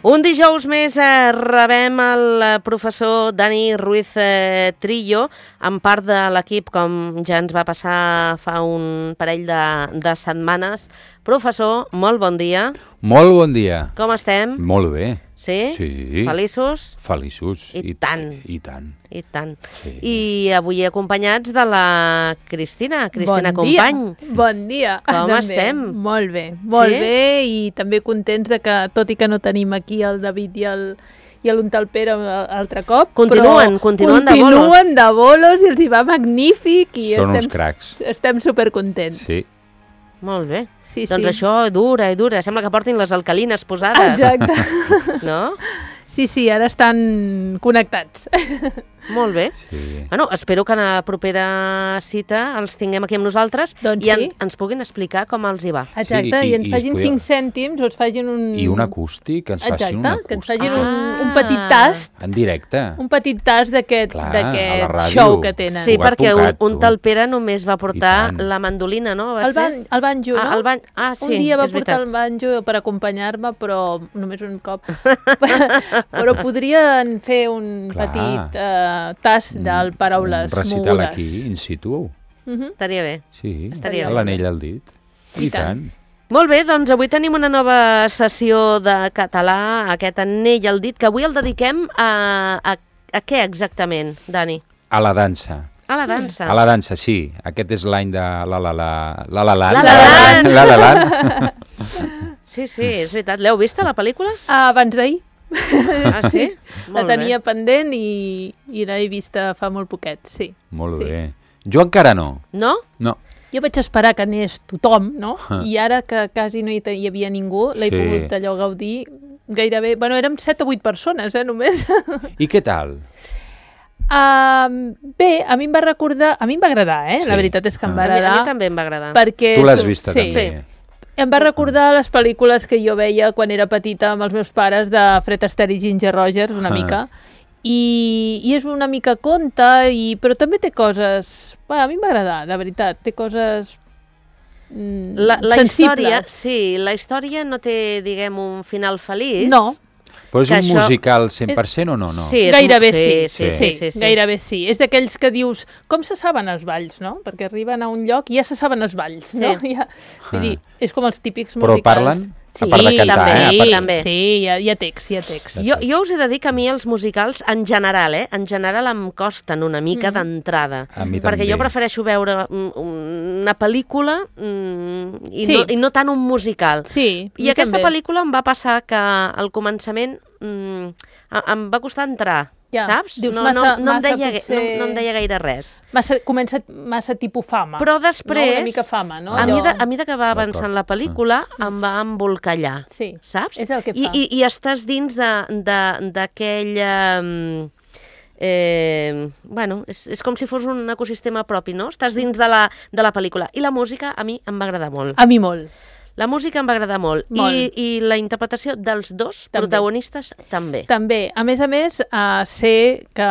Un dijous més rebem el professor Dani Ruiz Trillo, en part de l'equip, com ja ens va passar fa un parell de setmanes. Professor, molt bon dia. Molt bon dia. Com estem? Molt bé. Sí? Sí. Feliços? Feliços. I tant. I tant. I tant. Sí. I avui acompanyats de la Cristina Company. Bon dia. Com estem? Molt bé, molt bé, i també contents de que, tot i que no tenim aquí el David i l'Untalpere altre cop, continuen de bolos i els hi va magnífic i són uns cracs. Estem supercontents. Sí. Molt bé. Sí, doncs sí. Això dura i dura. Sembla que portin les alcalines posades. Exacte. No? Sí, ara estan connectats. Molt bé. Sí. Bueno, espero que a la propera cita els tinguem aquí amb nosaltres doncs i sí. ens puguin explicar com els hi va. Exacte, sí, i ens facin 5 cèntims o ens facin un... I un acústic, que ens facin un acústic. Que ens facin un petit tast. En directe. Un petit tast d'aquest show que tenen. Sí, perquè un Talpere només va portar la mandolina, no? El banjo, no? Sí, un dia va és portar veritat. el banjo per acompanyar-me, però només un cop. Però podrien fer un petit tast del paraules mogudes. Un recital aquí, in situ. Estaria bé. Sí, estaria bé. l'anell al dit. I tant. Molt bé, doncs avui tenim una nova sessió de català, aquest anell al dit, que avui el dediquem a què exactament, Dani? A la dansa. A la dansa. A la dansa, sí. Aquest és l'any de la Sí, és veritat. L'heu vista, la pel·lícula? Abans d'ahir. Ah, sí? La tenia pendent i l'he vista fa molt poquet, sí. Molt bé. Jo encara no. No? No. Jo vaig esperar que anés tothom, no? I ara que quasi no hi havia ningú, l'he pogut allò gaudir gairebé... Bueno, érem 7 o 8 persones, només. I què tal? Bé, a mi em va recordar... A mi em va agradar, Sí. La veritat és que em va agradar. A mi també em va agradar. Perquè tu l'has vista, també. Sí. Em va recordar les pel·lícules que jo veia quan era petita amb els meus pares de Fred Astaire i Ginger Rogers, una mica. I és una mica conte, però també té coses... Bueno, a mi em va agradar, de veritat. Té coses sensibles. La història no té, diguem, un final feliç. No. Però és un musical 100% o no? Sí, gairebé sí. Gairebé sí. És d'aquells que dius, com se saben els balls, no? Perquè arriben a un lloc i ja se saben els balls, no? Vull dir, és com els típics musicals. Però parlen? A part de cantar, també. Sí, hi ha text. Jo us he de dir que a mi els musicals, en general em costen una mica d'entrada. Perquè jo prefereixo veure una pel·lícula i no tant un musical. Sí, I aquesta pel·lícula em va passar que al començament em va costar entrar. Saps? Dius, no em deia gaire res. Comença massa tipus fama. Però després, una mica fama, no? A mesura que va avançant la pel·lícula, em va embolcallar. Sí, saps? És el que fa. I estàs dins d'aquella... és com si fos un ecosistema propi, no? Estàs dins de la pel·lícula. I la música a mi em va agradar molt. A mi molt. La música em va agradar molt. I la interpretació dels dos protagonistes també. També. A més, sé que,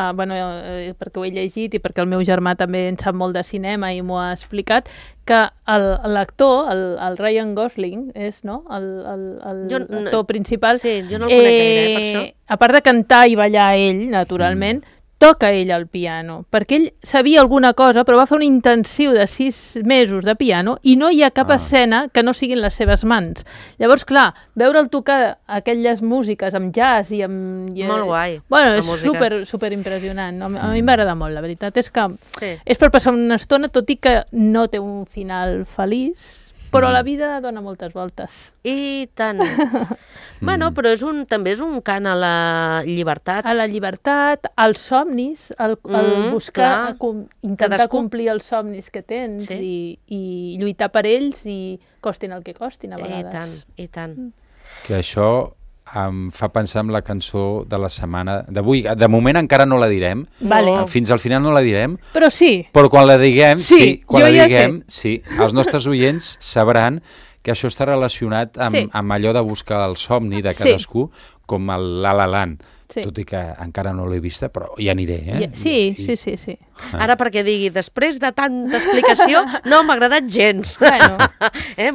perquè ho he llegit i perquè el meu germà també en sap molt de cinema i m'ho ha explicat, que l'actor, el Ryan Gosling, és, no?, l'actor principal. Sí, jo no el conec gaire, per això. A part de cantar i ballar ell, naturalment, toca ell el piano, perquè ell sabia alguna cosa, però va fer un intensiu de 6 mesos de piano i no hi ha cap escena que no siguin les seves mans. Llavors, clar, veure'l tocar aquelles músiques amb jazz i amb... Molt guai. Bueno, és super impressionant. A mi m'agrada molt, la veritat és que és per passar una estona, tot i que no té un final feliç, però la vida dona moltes voltes. I tant. Però també és un cant a la llibertat. A la llibertat, als somnis, el buscar, intentar complir els somnis que tens i lluitar per ells i costin el que costin a vegades. I tant. Que això em fa pensar en la cançó de la setmana d'avui. De moment encara no la direm. Fins al final no la direm. Però sí. Però quan la diguem, els nostres oients sabran que això està relacionat amb allò de buscar el somni de cadascú, com el La La Land. Tot i que encara no l'he vista, però hi aniré. Sí. Ara perquè digui, després de tanta explicació, no m'ha agradat gens.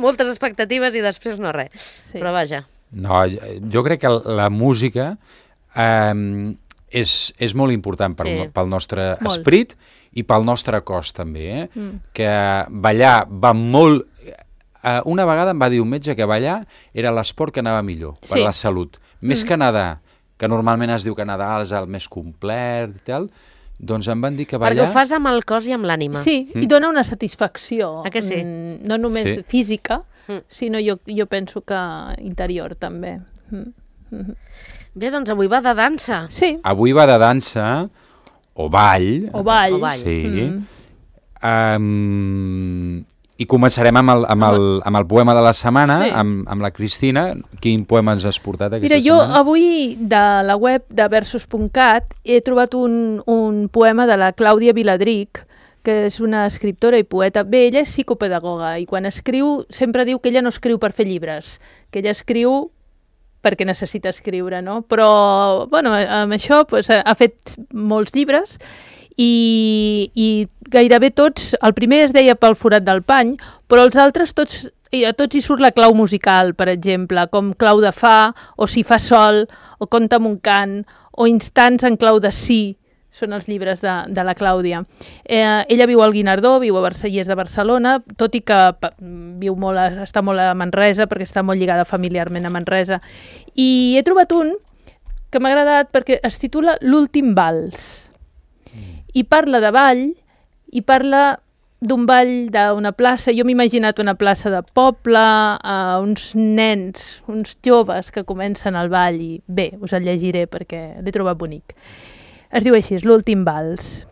Moltes expectatives i després no res. Però vaja. No, jo crec que la música és molt important pel nostre esperit i pel nostre cos també, que ballar va molt... Una vegada em va dir un metge que ballar era l'esport que anava millor per la salut. Més que nedar, que normalment es diu que nedar és el més complet i tal, doncs em van dir que ballar... Perquè ho fas amb el cos i amb l'ànima. Sí, i dona una satisfacció. Que sí? No només física, sinó jo penso que interior també. Bé, doncs avui va de dansa. Sí. Avui va de dansa, o ball. O ball. Sí. I començarem amb el poema de la setmana, amb la Cristina. Quin poema ens has portat aquesta setmana? Mira, jo avui de la web de versos.cat he trobat un poema de la Clàudia Viladric, que és una escriptora i poeta. Bé, ella és psicopedagoga i quan escriu sempre diu que ella no escriu per fer llibres, que ella escriu perquè necessita escriure, no? Però, bueno, amb això ha fet molts llibres i gairebé tots, el primer es deia Pel forat del pany, però els altres a tots hi surt la clau musical, per exemple, com Clau de fa, o Si fa sol, o Conta'm un cant, o Instants en clau de si, són els llibres de la Clàudia. Ella viu al Guinardó, viu a Versallers de Barcelona, tot i que està molt a Manresa, perquè està molt lligada familiarment a Manresa. I he trobat un que m'ha agradat perquè es titula L'últim vals. I parla de ball, i parla d'un ball d'una plaça. Jo m'he imaginat una plaça de poble, uns nens, uns joves que comencen el ball, i bé, us el llegiré perquè l'he trobat bonic. Es diu així, L'últim vals.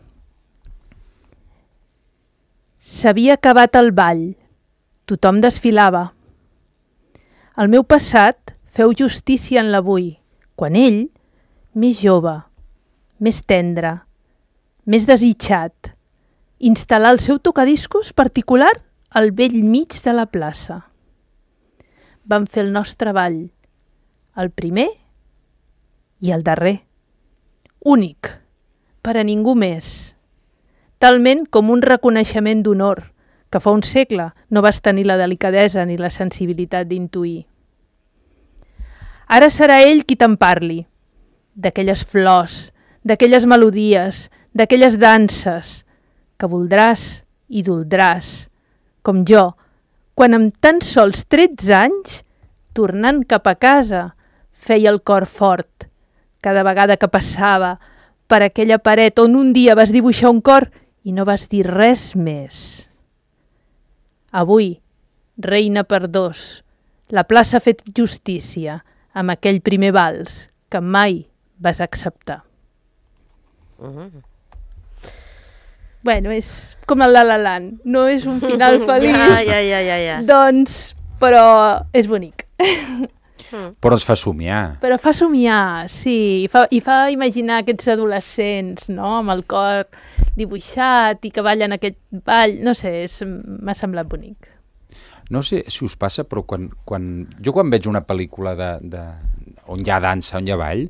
S'havia acabat el ball. Tothom desfilava. El meu passat feu justícia en l'avui, quan ell, més jove, més tendre, més desitjat, instal·lar el seu tocadiscos particular al vell mig de la plaça. Vam fer el nostre ball, el primer i el darrer. Únic, per a ningú més. Talment com un reconeixement d'honor, que fa un segle no vas tenir la delicadesa ni la sensibilitat d'intuir. Ara serà ell qui te'n parli, d'aquelles flors, d'aquelles melodies, d'aquelles danses, que voldràs i doldràs, com jo, quan amb tan sols 13 anys, tornant cap a casa, feia el cor fort, cada vegada que passava per aquella paret on un dia vas dibuixar un cor i no vas dir res més. Avui, reina per dos, la plaça ha fet justícia amb aquell primer vals que mai vas acceptar. Bueno, és com el La La Land, no és un final feliç, Ja. doncs, però és bonic. Però ens fa somiar. Però fa somiar, sí, i fa imaginar aquests adolescents, no?, amb el cor dibuixat i que ballen aquest ball, no sé, m'ha semblat bonic. No sé si us passa, però quan veig una pel·lícula on hi ha dansa, on hi ha ball,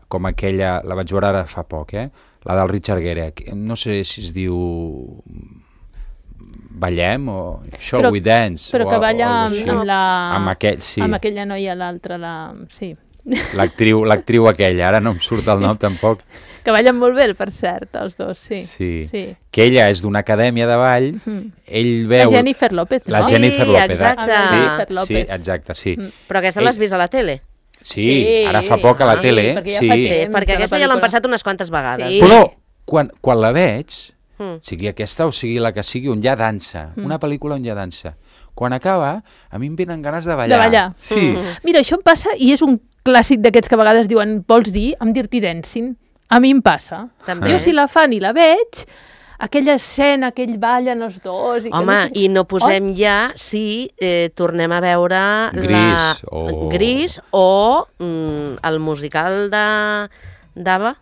com aquella, la vaig veure ara fa poc, la del Richard Gere, no sé si es diu Ballem o Shall We Dance, però que balla amb aquella noia, l'altra, sí. L'actriu aquella, ara no em surt el nom tampoc. Que ballen molt bé, per cert, els dos, sí. Sí. Que ella és d'una acadèmia de ball, ell veu... La Jennifer López, no? La Jennifer López, exacte. Sí, exacte, sí. Però aquesta l'has vist a la tele? Sí, ara fa poc a la tele. Perquè aquesta ja l'han passat unes quantes vegades. Però quan la veig, sigui aquesta o sigui la que sigui, on hi ha dansa, una pel·lícula on hi ha dansa, quan acaba, a mi em venen ganes de ballar. De ballar. Sí. Mira, això em passa, i és un clàssic d'aquests que a vegades diuen, vols dir, amb Dirty Dancing? A mi em passa. També. Jo si la fan i la veig, aquella escena, aquell ballen els dos... Home, i no posem ja si tornem a veure Gris o el musical d'Ava.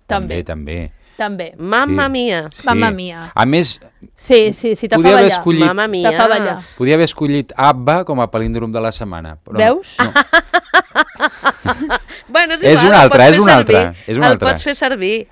També. Mamma Mia. Sí. Mamma Mia. A més, sí, te fa ballar. Mamma Mia. Te fa ballar. Podia haver escollit Abba com a palíndrom de la setmana. Però veus? No. Bueno, és un altre. El pots fer servir.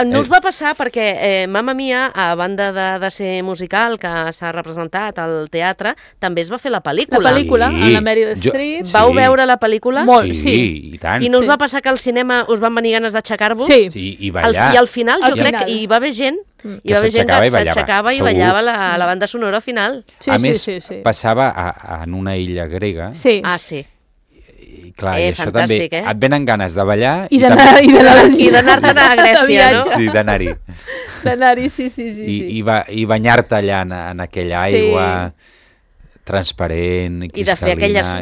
No us va passar perquè Mamma Mia, a banda de ser musical, que s'ha representat al teatre, també es va fer la pel·lícula. La pel·lícula, amb la Meryl Streep. Vau veure la pel·lícula? Molt, sí, i tant. I no us va passar que al cinema us van venir ganes d'aixecar-vos? Sí. I ballar. I al final, jo crec que hi va haver gent que s'aixecava i ballava la banda sonora al final. A més, passava en una illa grega. Sí. Ah, sí. I clar, i això també, et venen ganes de ballar i d'anar-te'n a Grècia, no? Sí, d'anar-hi. D'anar-hi, sí. I banyar-te allà en aquella aigua transparent, cristal·lina. I de fer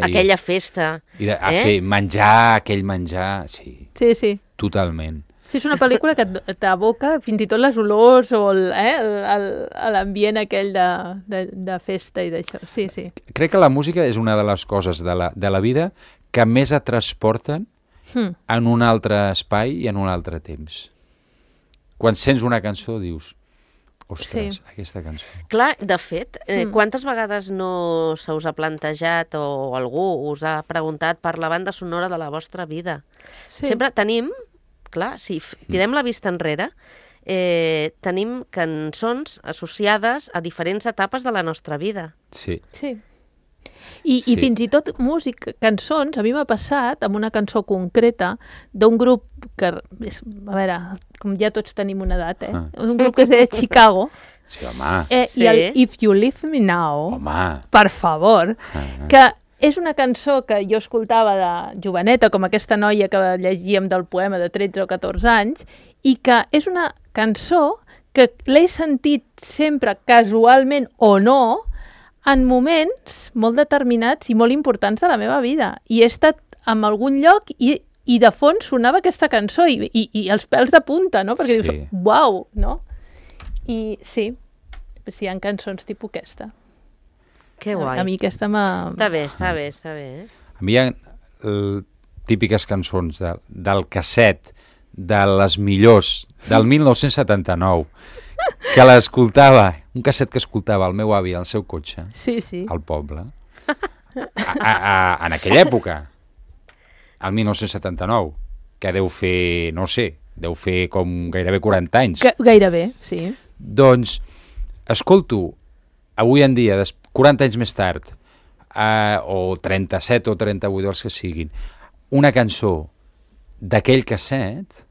aquella festa. I de fer menjar, aquell menjar, sí. Sí. Totalment. Sí, és una pel·lícula que t'aboca fins i tot les olors o l'ambient aquell de festa i d'això. Sí. Crec que la música és una de les coses de la vida que més et transporten en un altre espai i en un altre temps. Quan sents una cançó dius, ostres, aquesta cançó. Clar, de fet, quantes vegades no se us ha plantejat o algú us ha preguntat per la banda sonora de la vostra vida? Sí. Sempre tenim, clar, si tirem la vista enrere, tenim cançons associades a diferents etapes de la nostra vida. Sí. I fins i tot cançons, a mi m'ha passat amb una cançó concreta d'un grup que, a veure, com ja tots tenim una edat, un grup que es deia Chicago. Sí, home. I el If You Leave Me Now, home, per favor, que és una cançó que jo escoltava de joveneta, com aquesta noia que llegíem del poema de 13 o 14 anys, i que és una cançó que l'he sentit sempre, casualment o no, en moments molt determinats i molt importants de la meva vida. I he estat en algun lloc i de fons sonava aquesta cançó i els pèls de punta, no? Perquè dius, uau, no? I sí, hi ha cançons tipus aquesta. Que guai. A mi aquesta m'ha... Està bé. A mi hi ha típiques cançons del casset de les millors del 1979 que l'escoltava, un casset que escoltava el meu avi al seu cotxe, al poble, en aquella època, el 1979, que deu fer, no sé, deu fer com gairebé 40 anys. Gairebé, sí. Doncs escolto, avui en dia, 40 anys més tard, o 37 o 38, els que siguin, una cançó d'aquell casset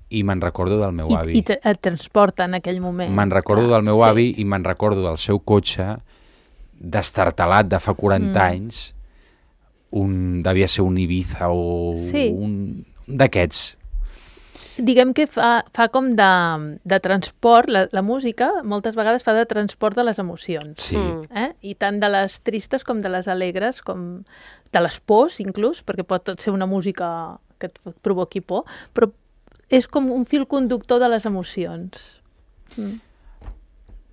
i me'n recordo del meu avi. I et transporta en aquell moment. Me'n recordo del meu avi i me'n recordo del seu cotxe destartalat de fa 40 anys, devia ser un Ibiza o un d'aquests. Diguem que fa com de transport, la música moltes vegades fa de transport de les emocions. Sí. I tant de les tristes com de les alegres, com de les pors inclús, perquè pot ser una música que et provoqui por, però és com un fil conductor de les emocions.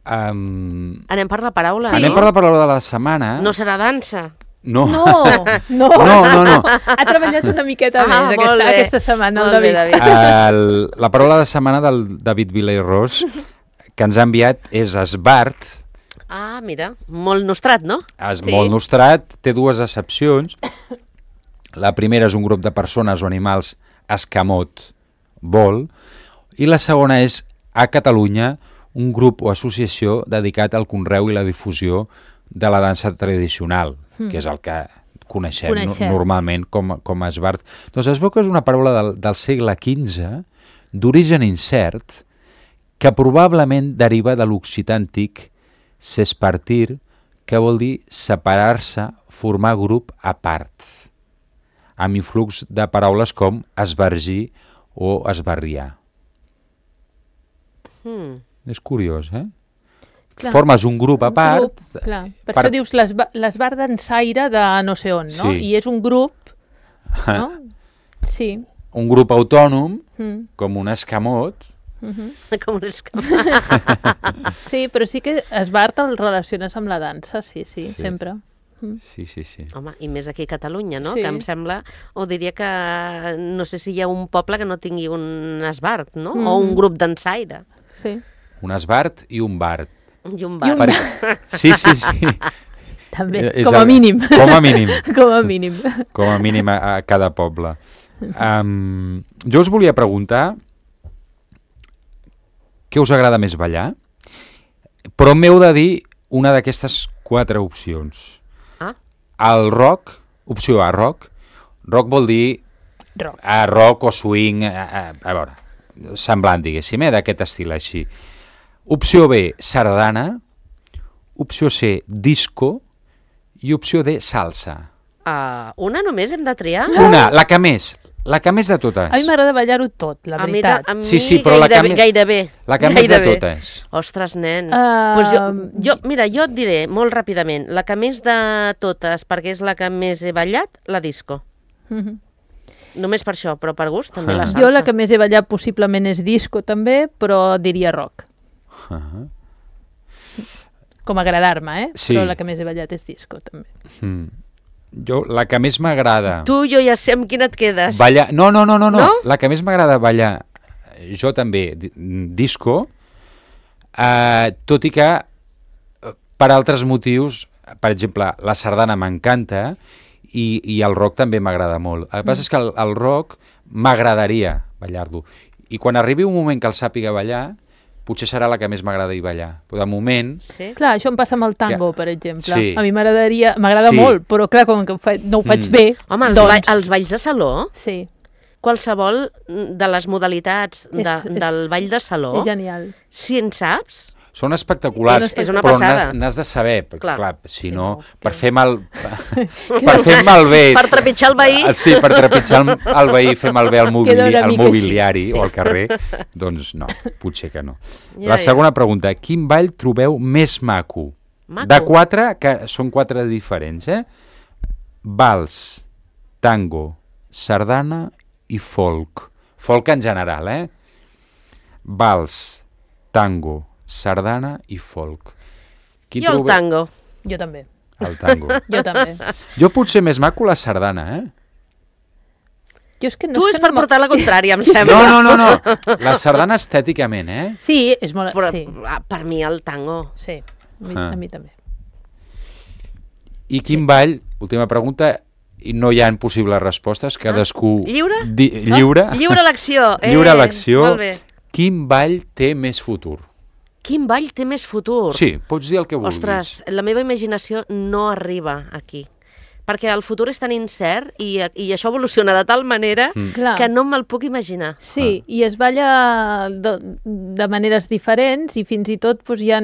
Anem per la paraula, no? Anem per la paraula de la setmana. No serà dansa. No. Ha treballat una miqueta més aquesta setmana, el David. La paraula de setmana del David Vilairós que ens ha enviat és esbart. Ah, mira, molt nostrat, no? Molt nostrat, té dues accepcions. La primera és un grup de persones o animals escamot, vol, i la segona és a Catalunya un grup o associació dedicat al conreu i la difusió de la dansa tradicional, que és el que coneixem. Normalment com a esbart. Doncs es veu que és una paraula del segle XV, d'origen incert, que probablement deriva de l'occità antic s'espartir, que vol dir separar-se, formar grup a part, amb influx de paraules com esbargir o esbarriar. És curiós, Clar. Formes un grup a part. Clar. Per això dius l'esbar dansaire de no sé on, no? I és un grup, no? Sí. Un grup autònom, com un escamot. Com un escamot. Sí, però sí que esbart el relaciones amb la dansa, sí, sempre. Sí. Home, i més aquí a Catalunya, no? Que em sembla, o diria que no sé si hi ha un poble que no tingui un esbart, no? O un grup dansaire. Sí. Un esbart i un bart. I un bart. Sí. També, com a mínim. Com a mínim. Com a mínim. Com a mínim a cada poble. Jo us volia preguntar què us agrada més ballar, però m'heu de dir una d'aquestes 4 opcions. El rock, opció A, rock. Rock vol dir rock o swing, a veure, semblant, diguéssim, d'aquest estil així. Opció B, sardana. Opció C, disco. I opció D, salsa. Una només hem de triar? Una, la que més de totes. A mi m'agrada ballar-ho tot, la veritat. A mi sí, però gairebé. La que més de totes. Ostres, nen. Pues mira, jo et diré molt ràpidament, la que més de totes, perquè és la que més he ballat, la disco. Només per això, però per gust també la salsa. Jo la que més he ballat possiblement és disco també, però diria rock. Com agradar-me, Sí. Però la que més he ballat és disco també. Jo, la que més m'agrada... Tu, jo ja sé amb quina et quedes. Ballar... No. La que més m'agrada ballar, jo també, disco, tot i que per altres motius, per exemple, la sardana m'encanta i el rock també m'agrada molt. El que passa és que el rock m'agradaria ballar-lo. I quan arribi un moment que el sàpiga ballar, potser serà la que més m'agrada ballar. Però de moment... Sí? Clar, això em passa amb el tango, per exemple. Sí. A mi m'agrada molt, però clar, com que no ho faig bé... Home, els balls de saló, Sí, qualsevol de les modalitats del ball de saló, és genial. si en saps... Són espectaculars, És una però passada. n'has de saber, perquè, Clar. si no, per fer malbé... Per trepitjar el veí. Sí, per trepitjar el veí, fer malbé el Queda una mica mobiliari així, sí. o al carrer, doncs no, potser que no. Ja, La segona pregunta, quin ball trobeu més maco? De 4, que són 4 diferents, vals, tango, sardana i folk. Folk en general, Vals, tango, sardana i folk. Jo el tango. Jo també. El tango. Jo també. Jo potser més maco la sardana, Jo és que no Tu és per portar la contrària, em sembla. No. La sardana estèticament, Sí, és molt... Però sí. per mi el tango. Sí, a mi també. I quin ball, última pregunta, i no hi ha possibles respostes, cadascú... Lliure? Lliure. Lliure elecció. Lliure elecció. Molt bé. Quin ball té més futur? Quin ball té més futur? Sí, pots dir el que vulguis. Ostres, la meva imaginació no arriba aquí. Perquè el futur és tan incert i això evoluciona de tal manera que no me'l puc imaginar. Sí, i es balla de maneres diferents i fins i tot hi ha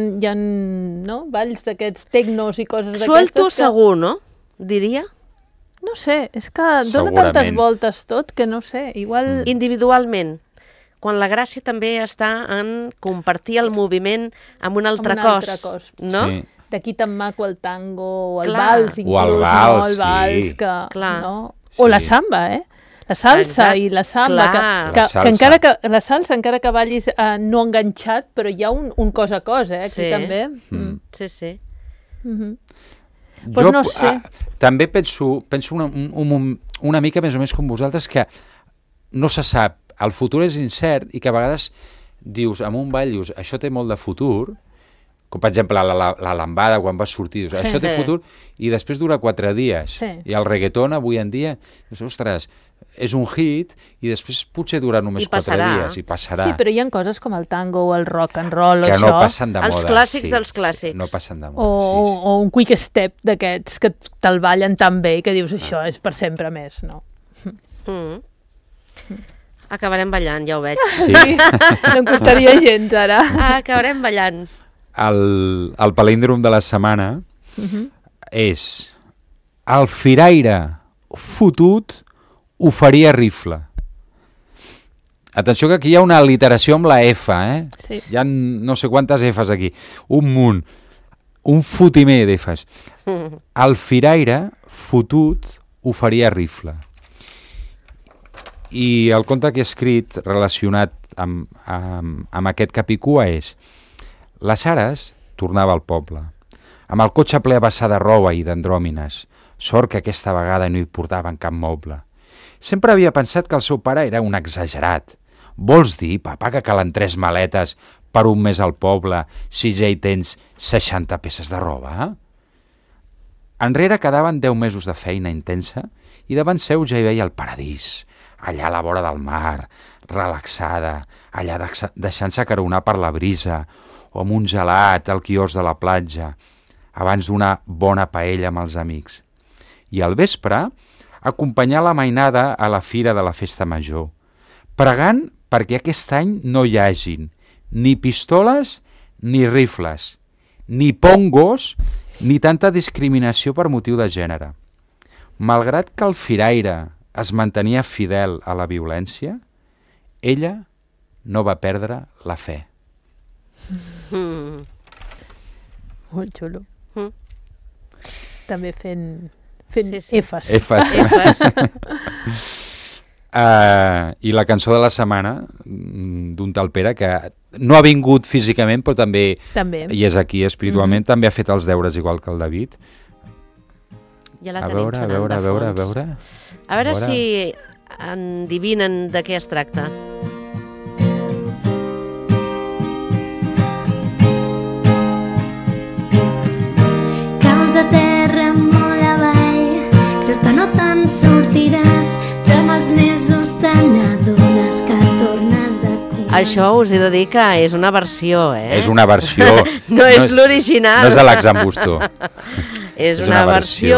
balls d'aquests tecnos i coses d'aquestes. Suelto segur, no? Diria. No sé, és que dona tantes voltes tot que no sé, igual... Individualment. Quan la gràcia també està en compartir el moviment amb un altre cos, no? Sí. D'aquí tan maco el tango, o el vals, inclús, o el vals, el vals, sí. No? O la samba, La salsa i la samba, que encara que la salsa, encara que ballis no enganxat, però hi ha un cos a cos, aquí també. Sí. Pues no sé. També penso una mica més o menys com vosaltres, que no se sap, el futur és incert i que a vegades dius, en un ball dius, això té molt de futur, com per exemple la lambada quan vas sortir, dius, això té futur, i després dura 4 dies. I el reggaeton avui en dia, dius, ostres, és un hit i després potser dura només 4 dies i passarà. Sí, però hi ha coses com el tango o el rock and roll que o no això. Passen de moda. Els clàssics dels clàssics. No passen de moda, o un quick step d'aquests que te'l ballen tan bé que dius, això és per sempre més, no? Acabarem ballant, ja ho veig. Sí, no em costaria gens, ara. Acabarem ballant. El palíndrom de la setmana és el firaire fotut ho faria rifle. Atenció que aquí hi ha una aliteració amb la F, Sí. Hi ha no sé quantes Fs aquí. Un munt. Un fotimer d'Fs. El firaire fotut ho faria rifle. I el conte que he escrit relacionat amb aquest capicua és: la Sares tornava al poble, amb el cotxe ple a vessar de roba i d'andròmines. Sort que aquesta vegada no hi portaven cap moble. Sempre havia pensat que el seu pare era un exagerat. Vols dir, papa, que calen 3 maletes per un mes al poble si ja hi tens 60 peces de roba? Enrere quedaven 10 mesos de feina intensa i davant seu ja hi veia el paradís, allà a la vora del mar, relaxada, allà deixant-se acaronar per la brisa, o amb un gelat al quiosc de la platja, abans d'una bona paella amb els amics. I al vespre, acompanyar la mainada a la fira de la festa major, pregant perquè aquest any no hi hagin ni pistoles ni rifles, ni pongos, ni tanta discriminació per motiu de gènere. Malgrat que el firaire es mantenia fidel a la violència, ella no va perdre la fe. Molt xulo. També fent Sí. Efes. I la cançó de la setmana d'un tal Pere que no ha vingut físicament però també. I és aquí espiritualment, també ha fet els deures igual que el David. Ja la tenim sonant de fons. A veure si endivinen de què es tracta. Caus a terra molt avall, creus que no te'n sortiràs, però amb els mesos te n'adones que tornes a començar. Això us he de dir que és una versió, És una versió. No és l'original. No és l'Alexandre. És una versió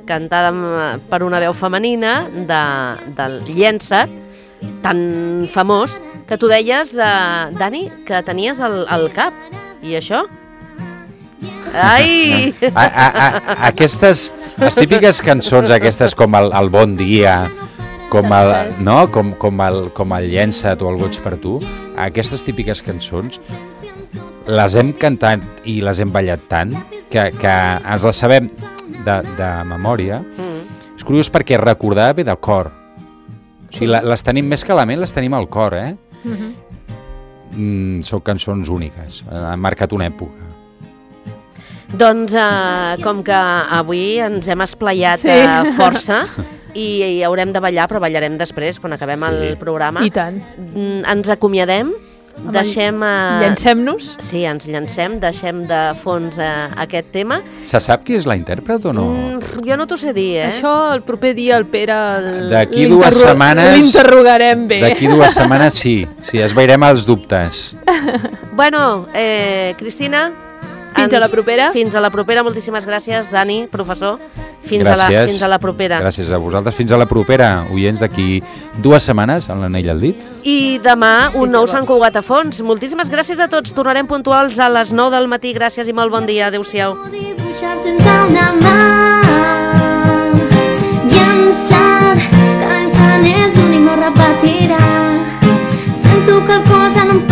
cantada per una veu femenina del Llença't, tan famós, que tu deies, Dani, que tenies al cap. I això? Ai! Aquestes, les típiques cançons aquestes com el Bon Dia, com el Llença't o el Goig per tu, aquestes típiques cançons les hem cantat i les hem ballat tant que ens les sabem de memòria. És curiós perquè recordar ve del cor. O sigui, les tenim més que la ment, les tenim al cor, Són cançons úniques, han marcat una època. Doncs com que avui ens hem esplaiat força i haurem de ballar, però ballarem després, quan acabem el programa. I tant. Ens acomiadem, Llancem-nos? Sí, ens llancem, deixem de fons aquest tema. Se sap qui és la intèrpret o no? Jo no t'ho sé dir, Això el proper dia el Pere d'aquí 2 setmanes l'interrogarem bé. D'aquí 2 setmanes sí, esvairem els dubtes. Bueno, Cristina, fins a la propera. Fins a la propera, moltíssimes gràcies, Dani, professor. Fins a la propera. Gràcies a vosaltres, fins a la propera, oients, d'aquí 2 setmanes, amb l'anell al dit. I demà un nou Sant Cugat a fons. Moltíssimes gràcies a tots, tornarem puntuals a les 9 del matí. Gràcies i molt bon dia, adeu-siau. Dibuixar sense una mà, llançar, que l'ensant és un i no repetirà. Sento que el cos ja no em